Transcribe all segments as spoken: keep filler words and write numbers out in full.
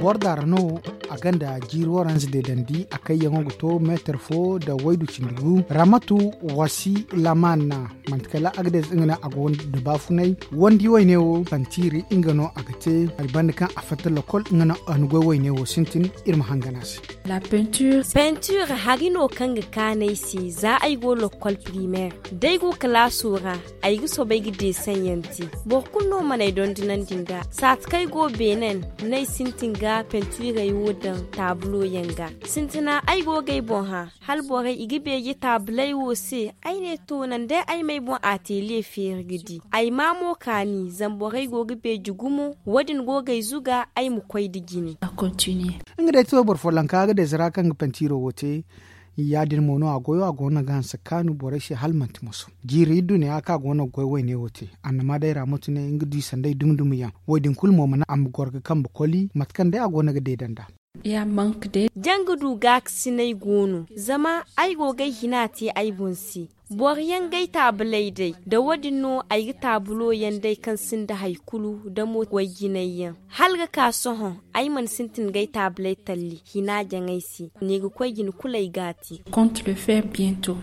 Boro daara no a gonda jiiri waranza deedandi a kayyaŋo ga to meetar fo nda waydu cindi gu. Ramatu wasi laman, manti kala agades nga no a go nda baafunay. Wandi wayne wo pantiiri nga no a ga te hari banda kaŋ a fatta lokol nga no a na goy wayne wo sintin. Iri ma hangan a se. Peinture hari no kaŋ ga kaanu ay se za ay go lokol primaire, da ay go kalaaso ra, ay ga soobay ga deesaŋ yaŋ te. Boro kulu no mana ay dondonandi nd'a. Saati kaŋ ay go beenen no ay sintin ga pentiirey wo daŋ taabulo yaŋ ga. Sintina ay go ga ay boŋ hã, hala borey i ga beeje taabuley wo se. Ay ne to naŋ day ay m'ay boŋ ateliye feeri ga di. Ay maa mo kaani zama borey go ga beeje gumo. Wo- din go ga ay zuga ay ma koy nda jine. Nga day to boro folloŋ kaŋ a ga deeza ra kaŋ ga pentiiro wo te. Ya-din mo no a goyo a go no ga hanse kaanu borey se hala manti moso. Jiiri iddu ne a ka go no ga goy wayne wo te. Annama day ra matu ne nga du i sanday dumi-dumi yaŋ. Wo- din kulu mo mana a ma goro ga kambe koli mate kaŋ day a go no ga deeda nd'a. Janga du gaakasinay go no zama ay go ga ay hina te ay boŋ se. Boro yaŋ ga ay taabuley day nda wo- din no ay ga taabulo yaŋ day kaŋ sinda hari kulu nda mo wayjinay yaŋ. Hala ga ka sohõ ay mana sintin ga ay taabuley talli hina jaŋ ay se. Ne ga koy jine kulu ay ga a te.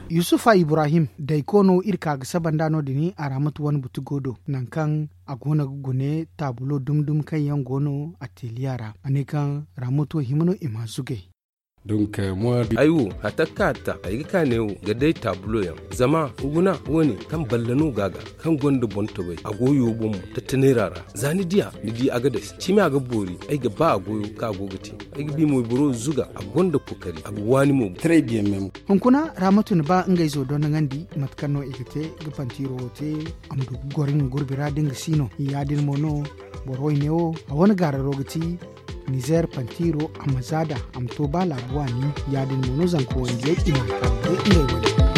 Yusufa ibrahim dayko no iri ka ga saba nd'a no- din a ra mate wane buti go do nangu kaŋ a go no ga gune taabulo dumi-dumi kaŋ yaŋ go no ateliya ra a ne kaŋ ra mate wo hima no i m'a zugay. Ay wo hatta kaŋ a ta ay ga ka neewo ga day taabulo yaŋ. Zama guna wo- ne kaŋ balla no go a ga kaŋ gonda boŋ taway a go yoobo mo tattaneera ra. Za ni diya ni di a ga day cimi a ga boori ay ga ba a goyo kaŋ a go ga te. Ay ga bi mo boro zuga a gonda kookari a ga waani mo. Hunkuna ra ma tun ba ngey zo dondoŋandi mate kaŋ no i ga te ga pantiiro wo te. A ma du ga goro nga gurbi ra da nga si no ya- din mo no boro wayne wo a wane gaararo ga ti. Nizeer pantiiro a ma zaada a ma to ba laara waani. Ya- din mo no zanka wandiyey i ma a kaanu day ngey wane.